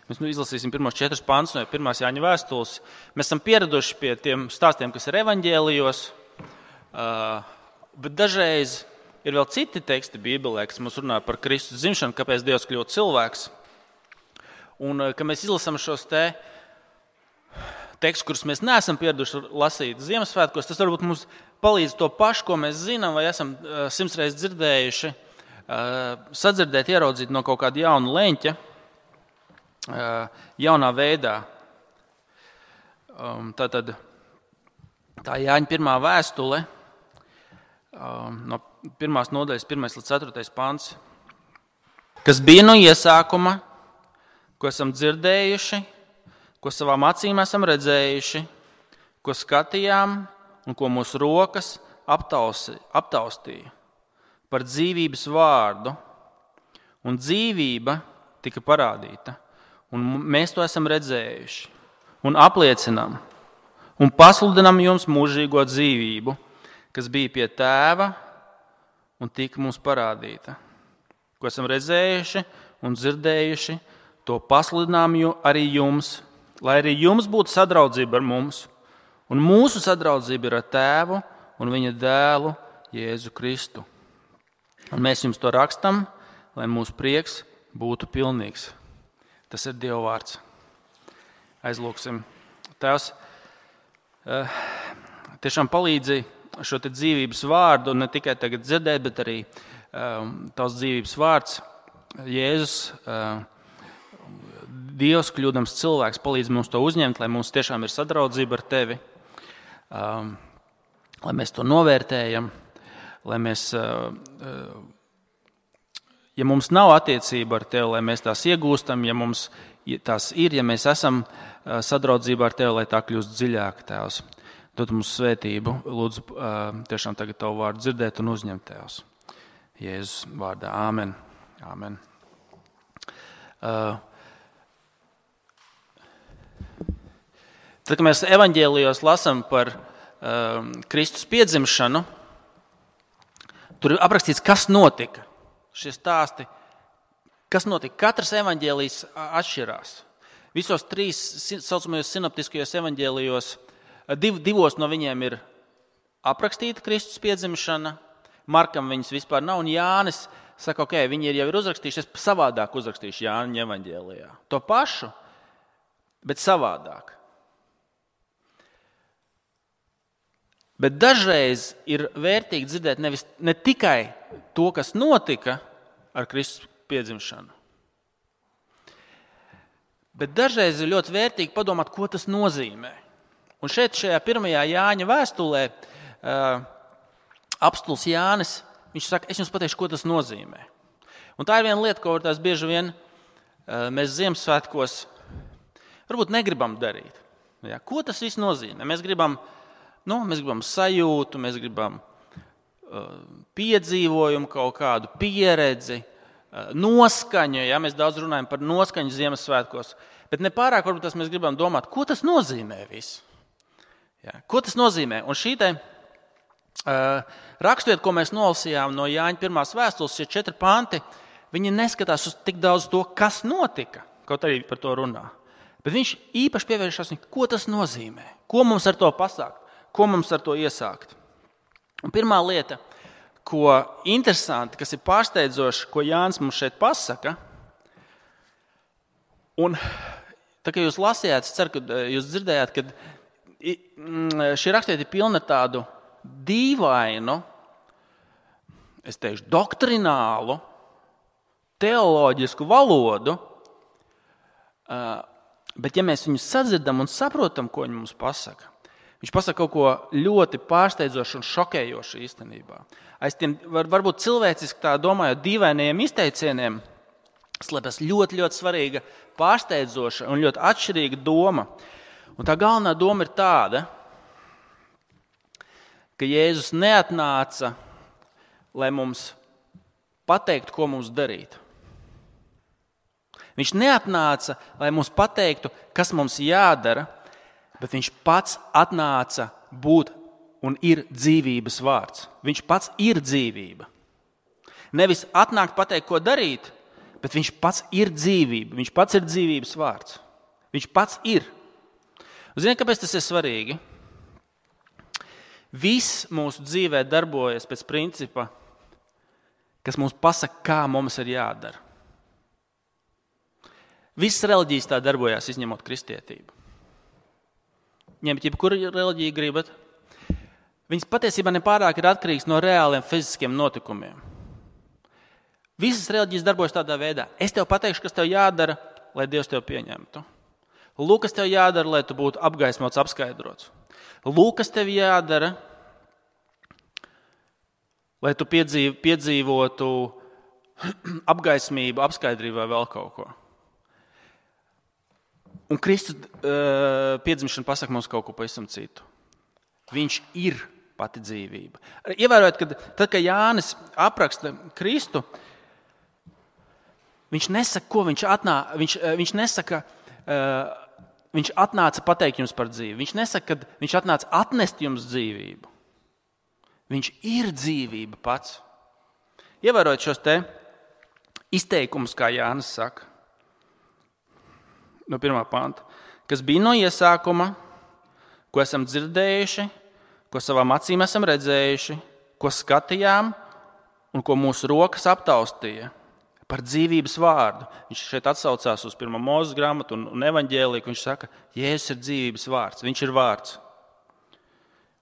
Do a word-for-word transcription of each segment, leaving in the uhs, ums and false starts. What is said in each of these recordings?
Mēs nu izlasīsim pirmos četrus pantus no pirmās Jāņa vēstules. Mēs esam pieraduši pie tiem stāstiem, kas ir evaņģēlijos, bet dažreiz ir vēl citi teksti Bībelē, kas mums runā par Kristus dzimšanu, kāpēc Dievs kļūt cilvēks. Un, kad mēs izlasām šos te tekstus, kurus mēs neesam pieraduši lasīt Ziemassvētkos, tas varbūt mums palīdz to pašu, ko mēs zinām vai esam simts reizes dzirdējuši, sadzirdēt, ieraudzīt no kaut kāda jauna leņķa, jaunā veidā. Tātad tā Jāņa pirmā vēstule, no pirmās nodaļas, pirmais līdz ceturtais pants, kas bija no iesākuma, ko esam dzirdējuši, ko savām acīm esam redzējuši, ko skatījām un ko mūsu rokas aptausi, aptaustīja par dzīvības vārdu, un dzīvība tika parādīta, un mēs to esam redzējuši, un apliecinām, un pasludinām jums mūžīgo dzīvību, kas bija pie tēva un tika mums parādīta. Ko esam redzējuši un dzirdējuši, to pasludinām arī jums, lai arī jums būtu sadraudzība ar mums, un mūsu sadraudzība ir ar tēvu un viņa dēlu Jēzu Kristu. Un mēs jums to rakstam, lai mūsu prieks būtu pilnīgs. Tas ir Dieva vārds. Aizlūksim. Tēvs, tiešām palīdzi šo te dzīvības vārdu ne tikai tagad dzirdēt, bet arī tavs dzīvības vārds. Jēzus, Dievs kļūdams cilvēks, palīdz mums to uzņemt, lai mums tiešām ir sadraudzība ar tevi, lai mēs to novērtējam, lai mēs, ja mums nav attiecība ar tevi, lai mēs tās iegūstam, ja mums tās ir, ja mēs esam sadraudzībā ar tevi, lai tā kļūst dziļāk, Tēvs. Dod mums svētību, lūdzu tiešām tagad tavu vārdu dzirdēt un uzņemt, Tēvs. Jēzus vārdā. Āmen. Āmen. Uh, Tad, kad mēs evaņģēlijos lasām par uh, Kristus piedzimšanu, tur ir aprakstīts, kas notika. Šie stāsti, kas notika. Katrs evaņģēlijs atšķirās. Visos trīs saucamajos sinoptiskajos evaņģēlijos, div, divos no viņiem ir aprakstīta Kristus piedzimšana, Markam viņas vispār nav, un Jānis saka, ok, viņi ir jau ir uzrakstījuši, es savādāk uzrakstīšu Jāņa evaņģēlijā. To pašu, bet savādāk. Bet dažreiz ir vērtīgi dzirdēt nevis, ne tikai to, kas notika ar Kristus piedzimšanu, bet dažreiz ir ļoti vērtīgi padomāt, ko tas nozīmē. Un šeit šajā pirmajā Jāņa vēstulē uh, apstulis Jānis, viņš saka, es jums pateikšu, ko tas nozīmē. Un tā ir viena lieta, ko tās bieži vien uh, mēs Ziemassvētkos varbūt negribam darīt. Ja, ko tas viss nozīmē? Mēs gribam Nu, mēs gribam sajūtu, mēs gribam uh, piedzīvojumu, kaut kādu pieredzi, uh, noskaņu. Ja? Mēs daudz runājam par noskaņu Ziemassvētkos, bet nepārāk varbūt tas mēs gribam domāt, ko tas nozīmē viss. Ja? Ko tas nozīmē? Un šī te uh, raksturiet, ko mēs nolasījām no Jāņa pirmās vēstules, šie četri panti, viņi neskatās uz tik daudz to, kas notika, kaut arī par to runā. Bet viņš īpaši pievēršas, ko tas nozīmē, ko mums ar to pasākt. Ko mums ar to iesākt? Un pirmā lieta, ko interesanti, kas ir pārsteidzoši, ko Jānis mums šeit pasaka, un tā kā jūs lasījāt, es ceru, ka jūs dzirdējāt, ka šī rakstiet ir pilna ar tādu dīvainu, es teikšu, doktrinālu, teoloģisku valodu, bet ja mēs viņus sadzirdam un saprotam, ko viņi mums pasaka, viņš pasaka kaut ko ļoti pārsteidzošu un šokējošu īstenībā. Aiz tiem var, varbūt cilvēciski tā domājot dīvainajiem izteicieniem slēpjas ļoti, ļoti svarīga, pārsteidzoša un ļoti atšķirīga doma. Un tā galvenā doma ir tāda, ka Jēzus neatnāca, lai mums pateiktu, ko mums darīt. Viņš neatnāca, lai mums pateiktu, kas mums jādara, bet viņš pats atnāca būt un ir dzīvības vārds. Viņš pats ir dzīvība. Nevis atnākt pateikt, ko darīt, bet viņš pats ir dzīvība. Viņš pats ir dzīvības vārds. Viņš pats ir. Ziniet, kāpēc tas ir svarīgi? Viss mūsu dzīvē darbojas pēc principa, kas mums pasaka, kā mums ir jādara. Visas reliģijas tā darbojās, izņemot kristietību. Ņemt jebkuru reliģiju gribat. Viņas patiesībā nepārāk ir atkarīgs no reāliem fiziskiem notikumiem. Visas reliģijas darbojas tādā veidā. Es tev pateikšu, kas tev jādara, lai Dievs tev pieņemtu. Lūk, kas tev jādara, lai tu būtu apgaismots, apskaidrots. Lūk, kas tev jādara, lai tu piedzīv, piedzīvotu apgaismību, apskaidrību vai vēl kaut ko. Un Kristus uh, piedzimšana pasaka mums kaut ko pavisam citu. Viņš ir pati dzīvība. Ievērojot, kad tad, kad Jānis apraksta Kristu, viņš nesaka, ko viņš atnā, viņš, viņš nesaka, uh, viņš atnāca pateikt jums par dzīvi. Viņš nesaka, ka viņš atnāca atnest jums dzīvību. Viņš ir dzīvība pats. Ievērojot šos te izteikumus, kā Jānis saka, no pirmā panta, kas bija no iesākuma, ko esam dzirdējuši, ko savām acīm esam redzējuši, ko skatījām un ko mūsu rokas aptaustīja par dzīvības vārdu. Viņš šeit atsaucās uz pirmo Mūzes grāmatu un, un evaņģēliju, viņš saka, Jēzus ir dzīvības vārds, viņš ir vārds.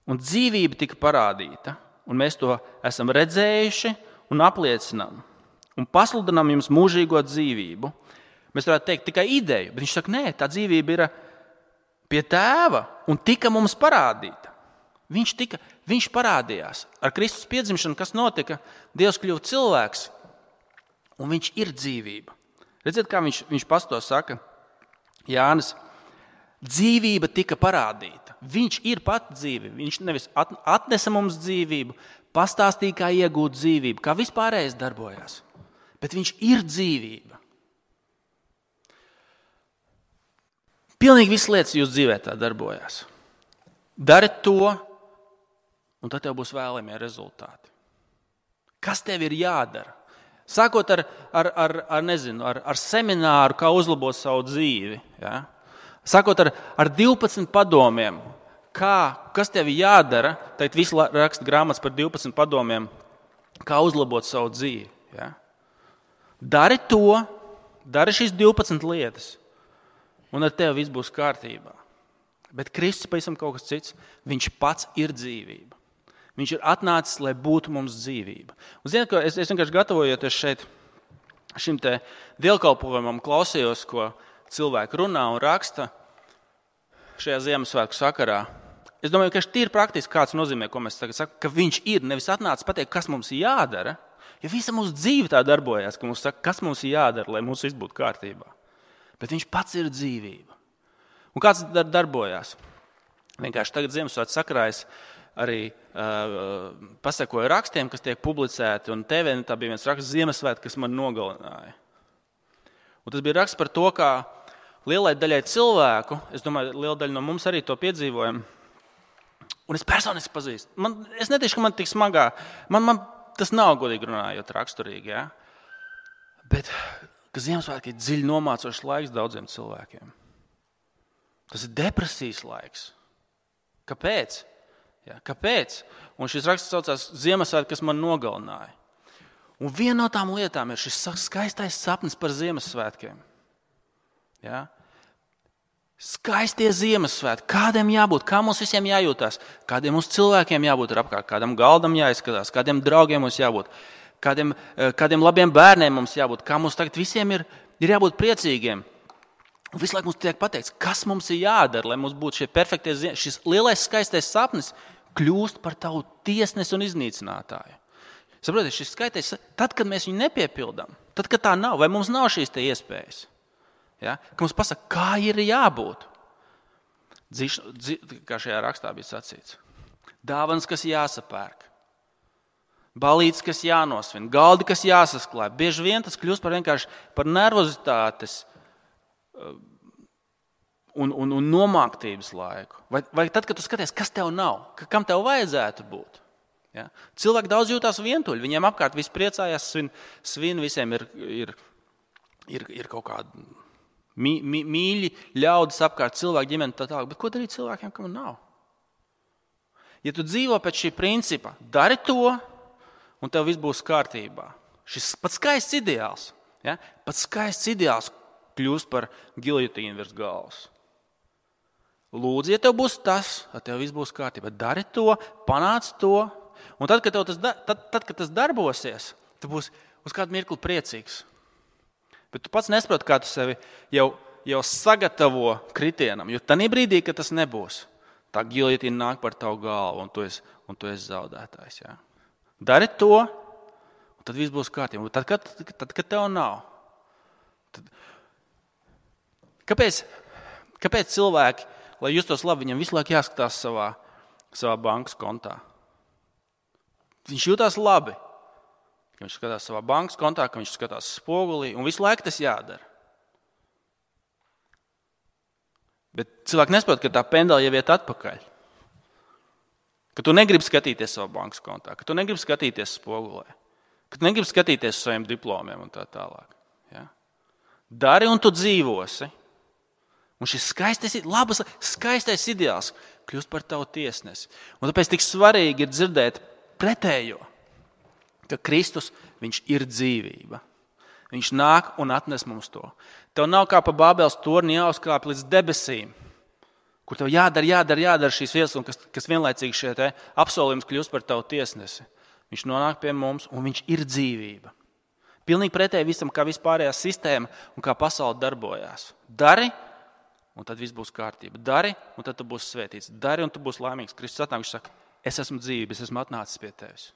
Un dzīvība tika parādīta, un mēs to esam redzējuši un apliecinām. Un pasludinām jums mūžīgo dzīvību. Mēs varētu teikt tikai ideju, bet viņš saka, nē, tā dzīvība ir pie tēva un tika mums parādīta. Viņš, tika, viņš parādījās. Ar Kristus piedzimšanu, kas notika, Dievs kļuva cilvēks un viņš ir dzīvība. Redziet, kā viņš, viņš pats to saka, Jānis, dzīvība tika parādīta. Viņš ir pati dzīvība. Viņš nevis atnesa mums dzīvību, pastāstīja, kā iegūt dzīvību, kā vispārējais darbojās, bet viņš ir dzīvība. Pilnīgi visas lietas jūsu dzīvē tā darbojās. Dari to, un tad tev būs vēlamie rezultāti. Kas tev ir jādara? Sākot ar, ar, ar, ar, nezinu, ar, ar semināru, kā uzlabot savu dzīvi. Ja? Sākot ar, ar divpadsmit padomiem, kā, kas tev jādara, tad visi raksta grāmatas par divpadsmit padomiem, kā uzlabot savu dzīvi. Ja? Dari to, dari šīs divpadsmit lietas. Un ar tevi viss būs kārtībā. Bet Kristus pavisam kaut kas cits. Viņš pats ir dzīvība. Viņš ir atnācis, lai būtu mums dzīvība. Un ziniet, ko es, es vienkārši gatavojoties šeit šim te dievkalpojumam klausījos, ko cilvēki runā un raksta šajā Ziemassvētku sakarā. Es domāju, ka tīri praktiski kāds nozīmē, ko mēs tagad sakam, ka viņš ir nevis atnācis pateikt, kas mums ir jādara, jo visa mūsu dzīve tā darbojās, ka mums saka, kas mums ir jādara, lai mums viss būtu kārtībā. Bet viņš pats ir dzīvība. Un kāds dar- darbojās? Vienkārši tagad Ziemassvētku sakarā es arī uh, pasakoju rakstiem, kas tiek publicēti, un T V tā bija viens raksts Ziemassvētku, kas man nogalināja. Un tas bija raksts par to, kā lielai daļai cilvēku, es domāju, liela daļa no mums arī to piedzīvojam, un es personiski pazīstu. Man, es netīšu, ka man tik smagā, man, man tas nav godīgi runājot raksturīgi, ja? Bet ka Ziemassvētki ir dziļi nomācošs laiks daudziem cilvēkiem. Tas ir depresijas laiks. Kāpēc? Ja, kāpēc? Un šis raksts saucās Ziemassvētki, kas man nogalināja. Un viena no tām lietām ir šis skaistais sapnis par Ziemassvētkiem. Ja? Skaistie Ziemassvētki. Kādiem jābūt? Kā mums visiem jājūtās? Kādiem mums cilvēkiem jābūt ar apkārt? Kādam galdam jāizskatās? Kādiem draugiem mums jābūt? Kādiem, kādiem labiem bērniem mums jābūt, kā mums tagad visiem ir, ir jābūt priecīgiem. Un visu laiku mums tiek pateikts, kas mums ir jādara, lai mums būtu šie perfektie, šis lielais skaistais sapnis kļūst par tavu tiesnesi un iznīcinātāju. Saprotiet, šis skaitais, tad, kad mēs viņu nepiepildām, tad, kad tā nav, vai mums nav šīs te iespējas, ja? Ka mums pasaka, kā ir jābūt. Dzīš, dzi, kā šajā rakstā bija sacīts. Dāvanas, kas jāsapērk. Balītes, kas jānosvin, galdi, kas jāsasklāj. Bieži vien tas kļūst par vienkārši par nervozitātes un, un, un nomāktības laiku. Vai, vai tad, kad tu skaties, kas tev nav, kam tev vajadzētu būt. Ja? Cilvēki daudz jūtās vientuļi, viņiem apkārt viss priecājās, svin, svin visiem ir, ir ir, ir kaut kādi mī, mī, mīļi ļaudis apkārt, cilvēku ģimeni tā tālāk. Bet ko darīt cilvēkiem, kam nav? Ja tu dzīvo pēc šī principa, dari to, un tev viss būs kārtībā. Šis pats skaists ideāls, ja? Pats skaists ideāls kļūst par giljotīnu virs galvas. Lūdzu, ja tev būs tas, tad tev viss būs kārtībā. Dari to, panāc to, un tad, kad, tas, tad, tad, kad tas darbosies, tu būsi uz kādu mirkli priecīgs. Bet tu pats nesaproti, kā tu sevi jau, jau sagatavo kritienam, jo tajā brīdī, kad tas nebūs, tā giljotīna nāk par tavu galvu, un tu esi, un tu esi zaudētājs. Jā. Dari to, un tad viss būs kārtībā. Tad, kad, tad, kad tev nav. Tad... Kāpēc, kāpēc cilvēki, lai justos labi, viņam visu laiku jāskatās savā, savā bankas kontā? Viņš jūtās labi. Ka viņš skatās savā bankas kontā, ka viņš skatās spogulī, un visu laiku tas jādara. Bet cilvēki nesaprot, ka tā pendela jau iet atpakaļ. Ka tu negribi skatīties savā bankas kontā, ka tu negribi skatīties spogulē, ka tu negribi skatīties saviem diplomiem un tā tālāk. Ja? Dari un tu dzīvosi. Un šis skaistais, labas, skaistais ideāls kļūst par tavu tiesnesi. Un tāpēc tik svarīgi ir dzirdēt pretējo, ka Kristus, viņš ir dzīvība. Viņš nāk un atnes mums to. Tev nav kā pa Bābeles torni jāuzkāp līdz debesīm, kur tev jādara, jādara, jādara šīs vietas, un kas, kas vienlaicīgi šie te apsolījums kļūst par tavu tiesnesi. Viņš nonāk pie mums, un viņš ir dzīvība. Pilnīgi pretēji visam, kā vispārējā sistēma un kā pasaule darbojās. Dari, un tad viss būs kārtība. Dari, un tad tu būsi svētīts. Dari, un tu būsi laimīgs. Kristus atnāk, viņš saka, es esmu dzīvība, es esmu atnācis pie tevis.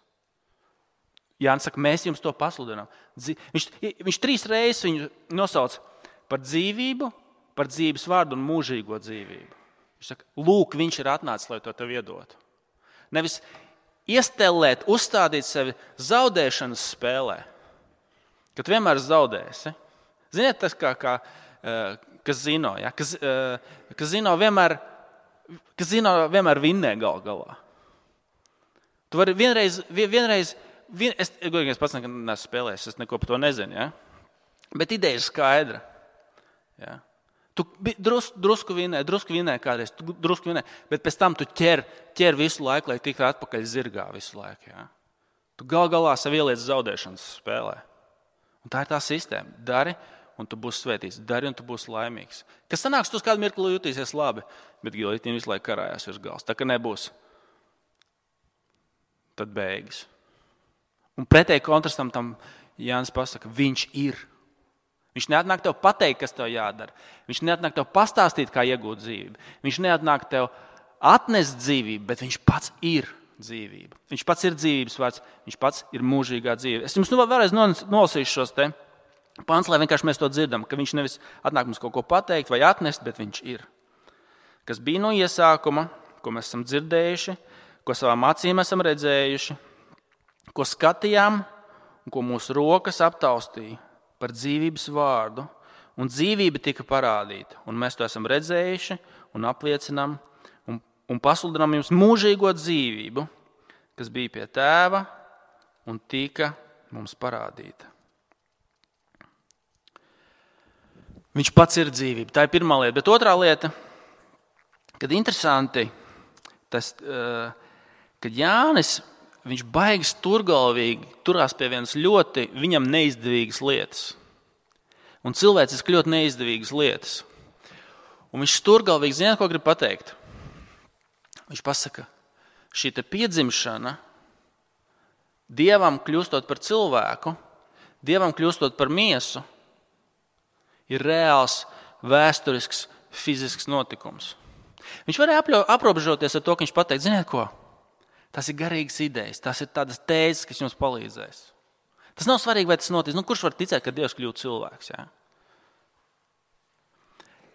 Jānis saka, mēs jums to pasludinām. Viņš, viņš trīs reizes viņu nosauc par dzīvību, par dzīves vārdu un mūžīgo dzīvību. Viņš saka, lūk, viņš ir atnācis, lai to tev iedotu. Nevis iestelēt, uzstādīt sevi zaudēšanas spēlē, ka tu vienmēr zaudēsi. Ziniet, tas kā, kā kas zino, ja? kas, kas zino vienmēr, kas zino vienmēr vinnē gal galā. Tu vari vienreiz, vienreiz vien, es, es pats neesmu spēlējis, es neko par to nezinu, ja? Bet ideja ir skaidra. Ja? Tu drus, drusku vinnē, drusku vinnē kādreiz, tu drusku vinnē, bet pēc tam tu ķer, ķer visu laiku, lai tiktu atpakaļ zirgā visu laiku. Ja? Tu gal galā sev ieliec zaudēšanas spēlē. Un tā ir tā sistēma. Dari, un tu būsi svētīts. Dari, un tu būsi laimīgs. Kas sanāks, tu uz kādu mirkli jutīsies labi, bet giljotīna visu laiku karājās virs galvas. Tā, ka nebūs, tad beigas. Un pretēji kontrastam tam Jānis pasaka, viņš ir. Viņš neatnāk tev pateikt, kas tev jādara. Viņš neatnāk tev pastāstīt, kā iegūt dzīvību. Viņš neatnāk tev atnest dzīvību, bet viņš pats ir dzīvība. Viņš pats ir dzīvības vārds, viņš pats ir mūžīgā dzīve. Es jums nu vēlreiz nolasīšu šos te pants, lai vienkārši mēs to dzirdam, ka viņš nevis atnāk mums kaut ko pateikt vai atnest, bet viņš ir. Kas bija no iesākuma, ko mēs esam dzirdējuši, ko savām acīm esam redzējuši, ko skatījām un ko mūsu rokas aptaustīja par dzīvības vārdu, un dzīvība tika parādīta, un mēs to esam redzējuši un apliecinām un, un pasludinām jums mūžīgo dzīvību, kas bija pie tēva un tika mums parādīta. Viņš pats ir dzīvība. Tā ir pirmā lieta. Bet otrā lieta, kad interesanti, tas, kad Jānis, viņš baigi sturgalvīgi turās pie vienas ļoti viņam neizdevīgas lietas. Un cilvēciski ļoti neizdevīgas lietas. Un viņš sturgalvīgi, ziniet, ko grib pateikt? Viņš pasaka, šī te piedzimšana, Dievam kļūstot par cilvēku, Dievam kļūstot par miesu, ir reāls, vēsturisks, fizisks notikums. Viņš varēja aprobežoties ar to, ka viņš pateikt, ziniet ko? Tas ir garīgas idejas, tas ir tādas tēzes, kas jums palīdzēs. Tas nav svarīgi, vai tas notiks. Nu, kurš var ticēt, ka Dievs kļūt cilvēks? Ja?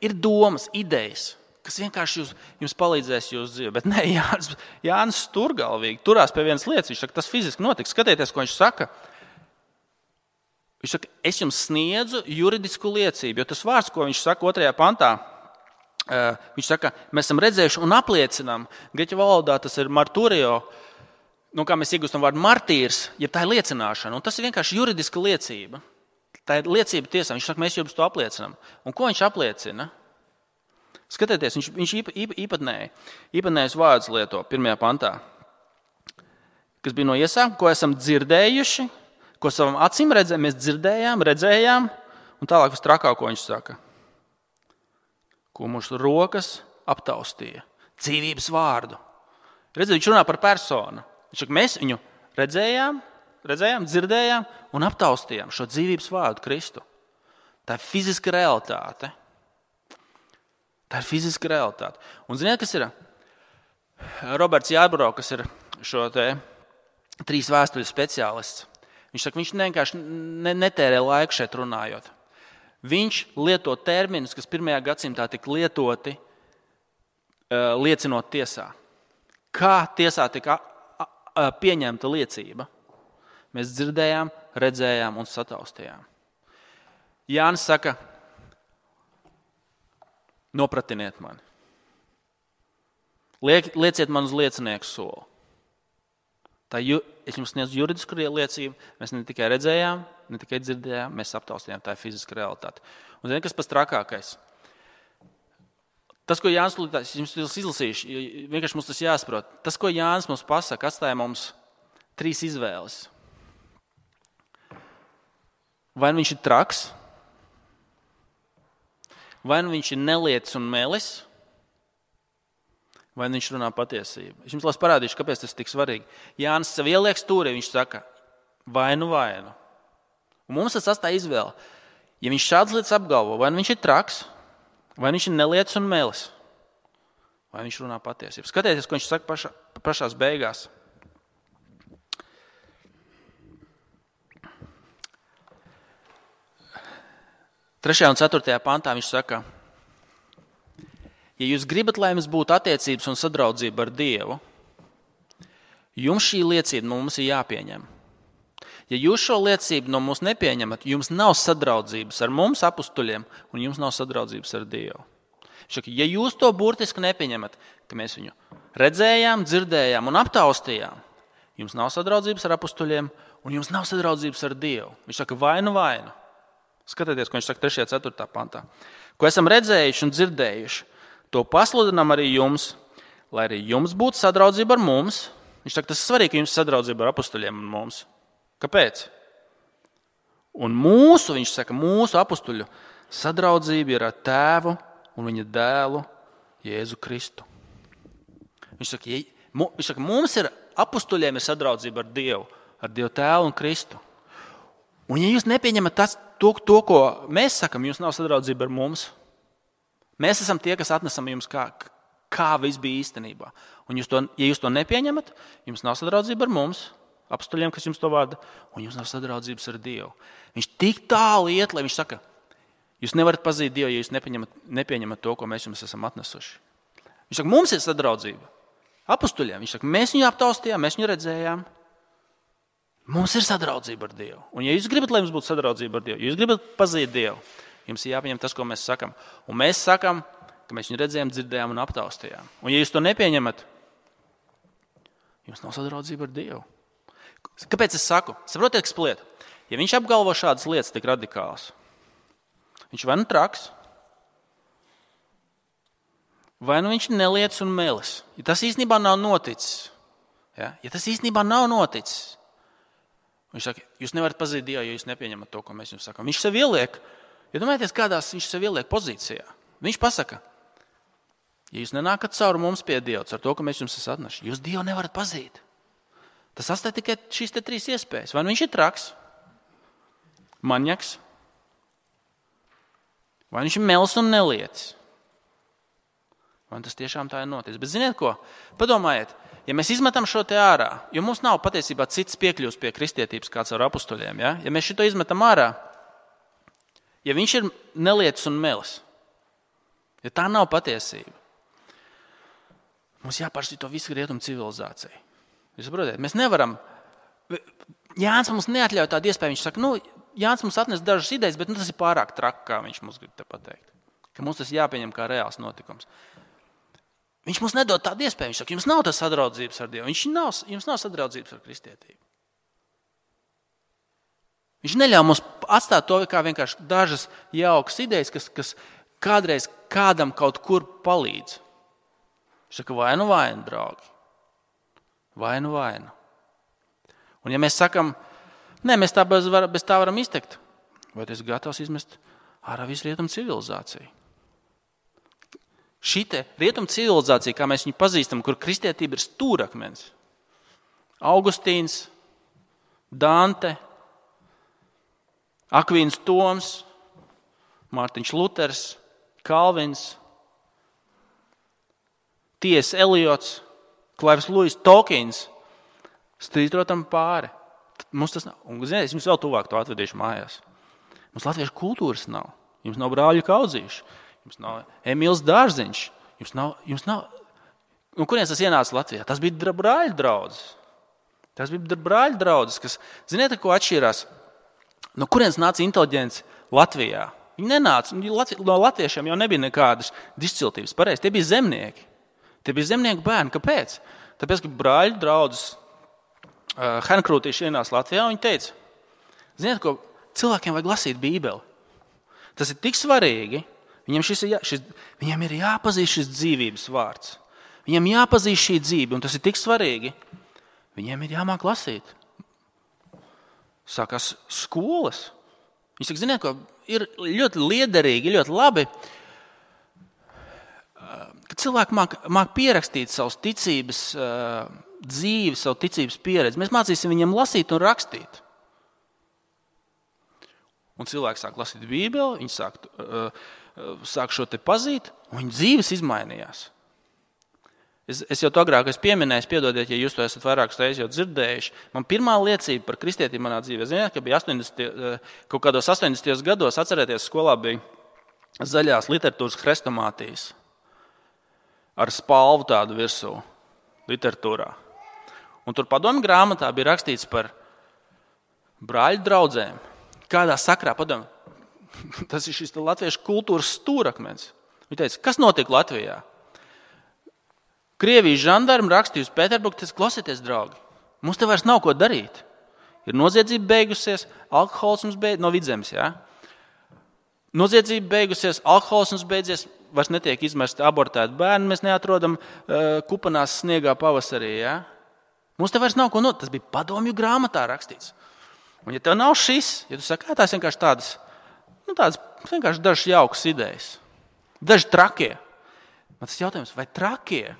Ir domas, idejas, kas vienkārši jūs, jums palīdzēs jūsu dzīvē. Bet nē, Jānis, Jānis sturgalvīgi turās pie vienas lietas. Viņš saka, tas fiziski notiks. Skatieties, ko viņš saka. Viņš saka, es jums sniedzu juridisku liecību, jo tas vārds, ko viņš saka otrajā pantā, viņš saka, mēs esam redzējuši un apliecinām. Grieķu valodā tas ir marturio, nu, kā mēs iegūstam vārdu martīrs, ja tā ir liecināšana. Un tas ir vienkārši juridiska liecība. Tā ir liecība tiesām. Viņš saka, mēs jums to apliecinām. Un ko viņš apliecina? Skatieties, viņš, viņš īpa, īpa, īpatnēji, īpatnējus vārdus lieto pirmajā pantā, kas bija no iesākuma, ko esam dzirdējuši, ko savam acīm redzējām, mēs dzirdējām, redzējām, un tālāk uz trakāko viņš saka, ko mūsu rokas aptaustīja, dzīvības vārdu. Redziet, viņš runā par personu. Viņš saka, mēs viņu redzējām, redzējām, dzirdējām un aptaustījām šo dzīvības vārdu Kristu. Tā ir fiziska realitāte. Tā ir fiziska realitāte. Un ziniet, kas ir? Roberts Jārbro, kas ir šo te trīs vēstuļu speciālists, viņš saka, viņš vienkārši ne, netērē laiku šeit runājot. Viņš lieto terminus, kas pirmajā gadsimtā tika lietoti, uh, liecinot tiesā. Kā tiesā tika a, a, pieņemta liecība? Mēs dzirdējām, redzējām un sataustījām. Jānis saka, nopratiniet mani. Liek, lieciet man uz liecinieku soli. Tā, es jums sniedzu juridisku liecību, mēs ne tikai redzējām, ne tikai dzirdējām, mēs aptaustījām, tā ir fiziska realitāte. Un ziniet, kas pats trakākais? Tas, ko Jānis Luters, es jums izlasīšu, vienkārši mums tas jāsaprot. Tas, ko Jānis mums pasaka, atstāja mums trīs izvēles. Vai nu viņš ir traks, vai nu viņš ir nelietis un melis, vai nu viņš runā patiesību. Es jums parādīšu, kāpēc tas ir tik svarīgi. Jānis sev ieliek stūrī, viņš saka, vai nu vai nu. Un mums tas atstāja izvēle. Ja viņš šādas lietas apgalvo, vai nu viņš ir traks, vai viņš ir nelietis un melis, vai viņš runā patiesību. Skatieties, ko viņš saka pašā, pašās beigās. Trešajā un ceturtajā pantā viņš saka, ja jūs gribat, lai jums būtu attiecības un sadraudzība ar Dievu, jums šī liecība no mums ir jāpieņem. Ja jūs šo liecību no mums nepieņemat, jums nav sadraudzības ar mums, apustuļiem, un jums nav sadraudzības ar Dievu. Šaka, ja jūs to burtiski nepieņemat, ka mēs viņu redzējām, dzirdējām un aptaustījām, jums nav sadraudzības ar apustuļiem, un jums nav sadraudzības ar Dievu. Viņš saka, vainu, vainu. Skatieties, ko viņš saka trešajā un ceturtajā pantā. Ko esam redzējuši un dzirdējuši, to pasludinām arī jums, lai arī jums būtu sadraudzība ar mums. Viņš saka, tas ir svarīgi, ka jums ir sadraudzība ar apustuļiem un mums. Kāpēc? Un mūsu, viņš saka, mūsu apustuļu sadraudzība ir ar Tēvu un viņa dēlu Jēzu Kristu. Viņš saka, ja, viņš saka, mums ir apustuļiem ir sadraudzība ar Dievu, ar Dievu Tēvu un Kristu. Un ja jūs nepieņemat tas, to, to, ko mēs sakam, jums nav sadraudzība ar mums. Mēs esam tie, kas atnesam jums, kā, kā viss bija īstenībā. Un jūs to, ja jūs to nepieņemat, jums nav sadraudzība ar mums, apustuļiem, kas jums to vada, un jums nav sadraudzības ar Dievu. Viņš tik tālu iet, lai viņš saka, jūs nevarat pazīt Dievu, ja jūs nepieņemat, nepieņemat to, ko mēs jums esam atnesuši. Viņš saka, mums ir sadraudzība. Apustuļiem, viņš saka, mēs viņu aptaustījām, mēs viņu redzējām. Mums ir sadraudzība ar Dievu. Un ja jūs gribat, lai jums būtu sadraudzība ar Dievu, ja jūs gribat pazīt Dievu, jums ir jāpieņem tas, ko mēs sakam. Un mēs sakam, ka mēs viņu redzējām, dzirdējām un aptaustījām. Un ja jūs to nepieņemat, jums nav sadraudzība ar Dievu. Kāpēc es saku? Saprotiet, kas lieta? Ja viņš apgalvo šādas lietas tik radikālas, viņš vai nu traks, vai nu viņš nelietis un melis. Ja tas īstenībā nav noticis, ja, ja tas īstenībā nav noticis, viņš saka, jūs nevarat pazīt Dievu, ja jūs nepieņemat to, ko mēs jums sakām. Viņš sev ieliek, ja domājieties, kādās viņš sev ieliek pozīcijā. Viņš pasaka, ja jūs nenākat cauri mums pie Dieva, ar to, ka mēs jums esam atneši, jūs Dievu nevarat pazīt. Tas atstāja tikai šīs te trīs iespējas. Vai nu viņš ir traks, maņaks, vai viņš ir melis un nelietis. Vai tas tiešām tā ir noticis. Bet ziniet ko? Padomājiet, ja mēs izmetam šo te ārā, jo mums nav patiesībā cits piekļūs pie kristietības kāds ar apustuļiem, ja? Ja mēs šito izmetam ārā, ja viņš ir nelietis un melis, ja tā nav patiesība, mums jāpāršķir to visu rietumu civilizāciju. Jūs saprotiet, mēs nevaram, Jānis mums neatļauj tādu iespēju, viņš saka, nu, Jānis mums atnes dažas idejas, bet nu, tas ir pārāk traki, kā viņš mums grib te pateikt, ka mums tas jāpieņem kā reāls notikums. Viņš mums nedod tādu iespēju. Viņš saka, jums nav tas sadraudzības ar Dievu. Viņš nav, jums nav sadraudzības ar kristietību. Viņš neļauj mums atstāt to kā vienkārši dažas jaukas idejas, kas, kas kādreiz kādam kaut kur palīdz. Viņš saka, vainu, vainu, draugi. Vainu, vainu. Un ja mēs sakam, nē, mēs tā bez, var, bez tā varam iztekt, vai tu esi gatavs izmest ārā visu rietumu civilizāciju? Šī te rietumu civilizācija, kā mēs viņu pazīstam, kur kristietība ir stūrakmens. Augustīns, Dante, Akvīns Toms, Mārtiņš Luters, Kalvins, T S Eliots, Klaivs Luis Tolkiens strītrotam pāri. Mums tas nav. Un, ziniet, es jums vēl tuvāk to atvedīšu mājās. Mums latviešu kultūras nav. Jums nav Brāļu Kaudzīši. Jums nav Emīls Dārziņš. Jums nav... Jums nav... Un kurienes tas ienāca Latvijā? Tas bija brāļu draudzes. Tas bija brāļu draudzes, kas... Ziniet, ko atšķirās? No kurienes nāca inteliģents Latvijā? Viņi nenāca. No latviešiem jau nebija nekādas disciltības. Pareizi, tie bija zemnieki. Tie bija zemnieku bērni. Kāpēc? Tāpēc, ka brāļu draudzes uh, Henkrūtīši ienāca Latvijā, un viņi teica, ziniet, ko cilvēkiem vajag lasīt Bībeli. Tas ir tik svarīgi. Viņiem, šis ir, jā, šis, viņiem ir jāpazīst šis dzīvības vārds. Viņiem jāpazīst šī dzīve, un tas ir tik svarīgi. Viņiem ir jāmāk lasīt. Sākās skolas. Viņi saka, ziniet, ko ir ļoti liederīgi, ļoti labi, ka cilvēki māk, māk pierakstīt savus ticības dzīvi, savu ticības pieredzi. Mēs mācīsim viņiem lasīt un rakstīt. Un cilvēki sāk lasīt Bībeli, viņi sāk, uh, sāk šo te pazīt, un viņu dzīves izmainījās. Es, es jau to agrāk esmu pieminējis, piedodiet, ja jūs to esat vairākas reizes jau dzirdējuši. Man pirmā liecība par kristietību manā dzīvē, ziniet, ka bija astoņdesmitajos, kaut kādos astoņdesmitajos gados, atcerieties, skolā bija zaļās literatūras hrestomātijas ar spalvu tādu virsū literatūrā. Un tur padomju grāmatā bija rakstīts par brāļu draudzēm. Kādā sakrā, padomā, tas ir šis latviešu kultūras stūrakmens. Viņi teica, kas notika Latvijā? Krievijas žandarmi rakstīja uz Pēterburgu, teica, klausieties, draugi, mums te vairs nav ko darīt. Ir noziedzība beigusies, alkohols mums beidzies, no Vidzemes, jā? Noziedzība beigusies, alkohols mums beidzies, vairs netiek izmesti abortēti bērni, mēs neatrodam uh, kupanās sniegā pavasarī, jā? Mums te vairs nav ko not, tas bija padomju grāmatā rakstīts. Un ja tev nav šis, ja tu saki, tās vienkārši tādas, nu tādas vienkārši dažas jaukas idejas, daži trakie. Man tas jautājums, vai trakie?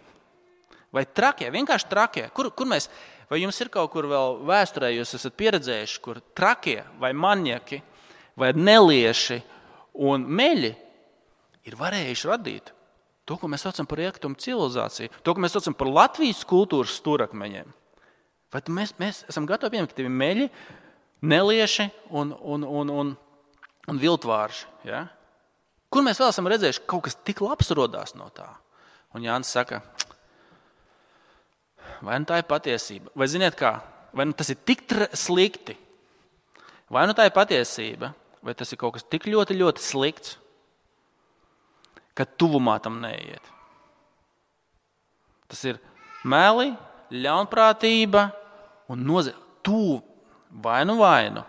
Vai trakie? Vienkārši trakie? Kur, kur mēs, vai jums ir kaut kur vēl vēsturē, jūs esat pieredzējuši, kur trakie vai manieki vai nelieši un meļi ir varējuši radīt to, ko mēs saucam par rietumu civilizāciju, to, ko mēs saucam par Latvijas kultūras stūrakmeņiem. Vai mēs, mēs esam gatavi pieņemt, ka tie ir meļi, nelieši un, un, un, un, un viltvārži. Ja? Kur mēs vēl esam redzējuši, ka kaut kas tik labs rodās no tā? Un Jānis saka, vai nu tā ir patiesība? Vai ziniet kā? Vai nu tas ir tik slikti? Vai nu tā ir patiesība? Vai tas ir kaut kas tik ļoti, ļoti slikts, ka tuvumā tam neiet? Tas ir meli, ļaunprātība un nozīme. Tuvu. Vainu, vainu.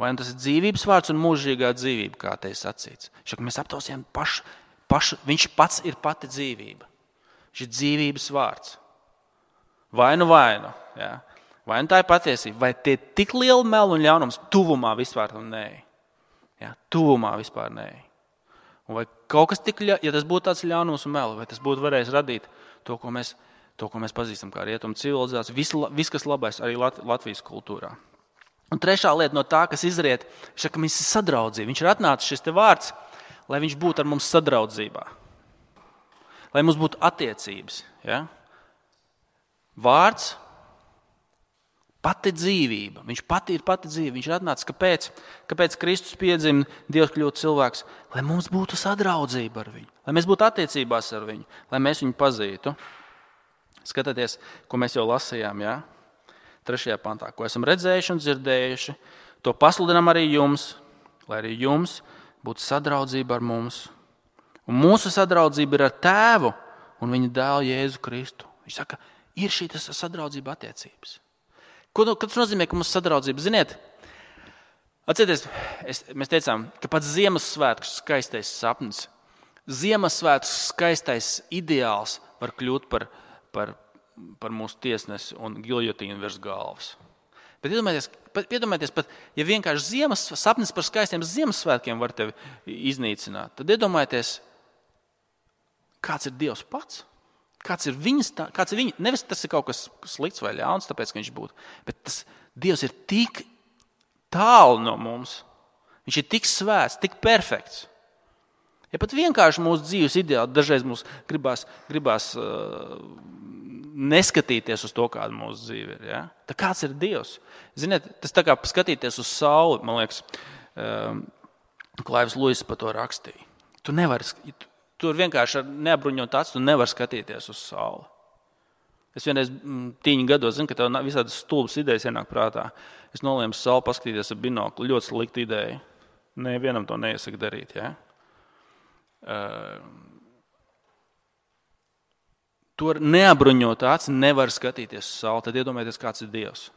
Vainu tas ir dzīvības vārds un mūžīgā dzīvība, kā te ir sacīts. Šak, mēs aptausījām pašu, pašu, viņš pats ir pati dzīvība. Viņš ir dzīvības vārds. Vainu, vainu. Jā. Vainu tā ir patiesība. Vai tie tik liela melu un ļaunums tuvumā vispār tam nē? Jā, tuvumā vispār nē. Un vai kaut kas tik, ja tas būtu tāds ļaunums un melu, vai tas būtu varējis radīt to, ko mēs To, ko mēs pazīstam kā rietumu civilizāciju, viss, vis, kas labais arī Lat- Latvijas kultūrā. Un trešā lieta no tā, kas izriet, ir, ka viņš ir sadraudzība. Viņš ir atnācis šis te vārds, lai viņš būtu ar mums sadraudzībā. Lai mums būtu attiecības. Ja? Vārds, pati dzīvība. Viņš pati ir pati dzīve. Viņš ir atnācis, kāpēc? Kāpēc Kristus piedzima, Dievs kļūt cilvēks? Lai mums būtu sadraudzība ar viņu. Lai mēs būtu attiecībās ar viņu. Lai mēs viņu pazītu. Skatieties, ko mēs jau lasījām, jā? Trešajā pantā, ko esam redzējuši un dzirdējuši, to pasludinām arī jums, lai arī jums būtu sadraudzība ar mums. Un mūsu sadraudzība ir ar Tēvu un viņa dēlu Jēzu Kristu. Viņš saka, ir šī sadraudzība attiecības. Ko tas nozīmē, ka mums sadraudzība? Ziniet, Atcerieties, es, mēs teicām, ka pats Ziemassvētku skaistais sapnis, Ziemassvētku skaistais ideāls var kļūt par, par, par mūsu tiesnesi un giljotīnu virs galvas. Bet iedomājieties, iedomājieties pat, ja vienkārši ziemas, sapnis par skaistiem Ziemassvētkiem var tevi iznīcināt, tad iedomājieties, kāds ir Dievs pats. Kāds ir viņas, kāds ir viņa, nevis tas ir kaut kas slikts vai ļauns, tāpēc, ka viņš būtu, bet tas Dievs ir tik tālu no mums. Viņš ir tik svēts, tik perfekts. Ja pat vienkārši mūsu dzīves ideāli, dažreiz mums gribās, gribās uh, neskatīties uz to, kāda mūsu dzīve ir. Ja? Tā kāds ir Dievs? Ziniet, tas tā kā skatīties uz sauli, man liekas, um, Klaivs Luis par to rakstīja. Tu nevari, tu, tur vienkārši ar neapbruņot acu, tu nevari skatīties uz sauli. Es vienreiz tīņu gados zinu, ka tev visādas stulbas idejas ienāk prātā. Es nolēmu sauli paskatīties ar binoklu. Ļoti slikta ideja. Nevienam to neiesaka darīt. Ja? Uh, to ar neapbruņot aci nevar skatīties uz sauli. Tad iedomājieties, kāds ir Dievs.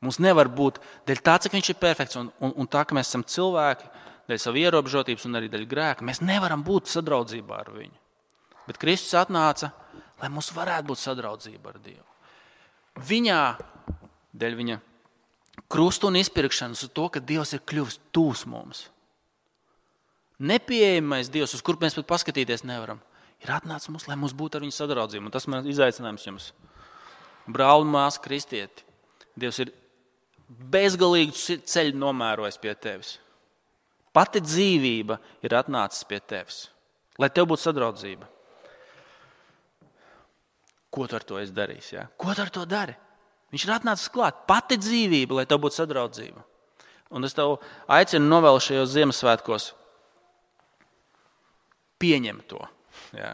Mums nevar būt, dēļ tā, cik viņš ir perfekts, un, un, un tā, ka mēs esam cilvēki, dēļ savu ierobežotības un arī dēļ grēka, mēs nevaram būt sadraudzībā ar viņu. Bet Kristus atnāca, lai mums varētu būt sadraudzība ar Dievu. Viņā, dēļ viņa krustu un izpirkšanas, uz to, ka Dievs ir kļuvis tūs mums. Nepieejamais Dievs, uz kur mēs pat paskatīties nevaram, ir atnācis mums, lai mums būtu ar viņu sadraudzība. Un tas man izaicinājums jums. Brāli un māsa kristieti, Dievs ir bezgalīgu ceļu nomērojis pie tevis. Pati dzīvība ir atnācis pie tevis, lai tev būtu sadraudzība. Ko tu ar to esi darījis? Ja? Ko tu ar to dari? Viņš ir atnācis klāt. Pati dzīvība, lai tev būtu sadraudzība. Un es tev aicinu novēl šajos Ziemassvētkos pieņemt to. Ja?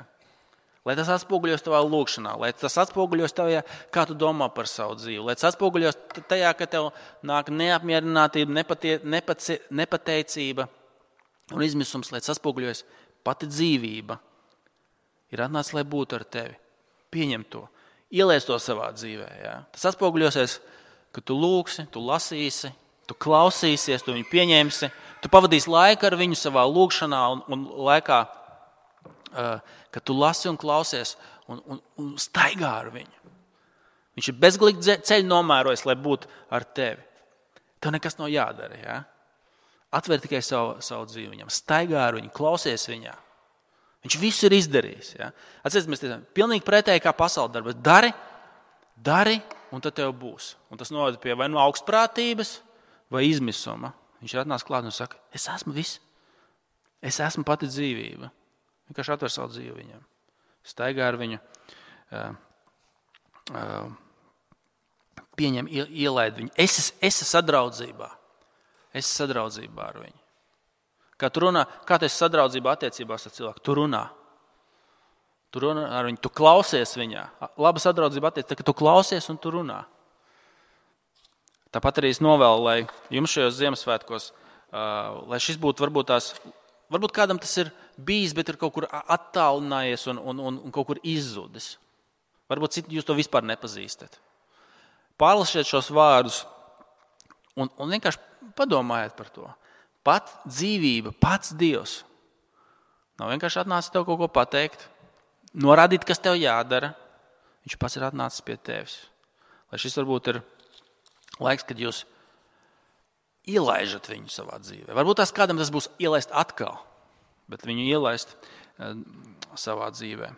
Lai tas atspoguļos tavā lūkšanā, lai tas atspoguļos tajā, kā tu domā par savu dzīvi, lai tas atspoguļos tajā, ka tev nāk neapmierinātība, nepatie, nepace, nepateicība un izmisums, lai tas atspoguļos pati dzīvība. Ir atnācis, lai būtu ar tevi. Pieņem to, ieliec to savā dzīvē. Ja? Tas atspoguļosies, ka tu lūksi, tu lasīsi, tu klausīsies, tu viņu pieņemsi, tu pavadīsi laiku ar viņu savā lūkšanā un, un laikā, uh, kad tu lasi un klausies un, un, un staigā ar viņu. Viņš ir bezgalīgi ceļu nomērojis, lai būtu ar tevi. Tev nekas nav jādara. Ja? Atver tikai savu, savu dzīvi viņam, staigā ar viņu, klausies viņā. Viņš visu ir izdarījis. Ja? Atcerieties, mēs teicām, pilnīgi pretēji kā pasaules darba. Dari, dari, un tad tev būs. Un tas novada pie vai no augstprātības, vai izmisuma. Viņš ir atnācis klāt un saka, es esmu viss. Es esmu pati dzīvība. Vienkārši atver savu dzīvi viņam. Staigā ar viņu, uh, uh, pieņem, ielaid viņu. Es esmu sadraudzībā. Es esmu sadraudzībā ar viņu. Kā tu runā, kā tu esi sadraudzībā attiecībās ar cilvēku? Tu runā. Tu runā ar viņu, tu klausies viņā. Laba sadraudzība attiecībā, ka tu klausies un tu runā. Tāpat arī es novēlu, lai jums šajos Ziemassvētkos, uh, lai šis būtu varbūt tās, varbūt kādam tas ir bijis, bet ir kaut kur attālinājies un, un, un, un kaut kur izzudis. Varbūt citu jūs to vispār nepazīstat. Pārlasiet šos vārdus un, un vienkārši padomājiet par to. Pat dzīvība, pats Dievs. Nav vienkārši atnācis tev kaut ko pateikt, norādīt, kas tev jādara. Viņš pats ir atnācis pie tevis. Lai šis varbūt ir laiks, kad jūs ielaižat viņu savā dzīvē. Varbūt tās kādam tas būs ielaist atkal, bet viņu ielaist savā dzīvē.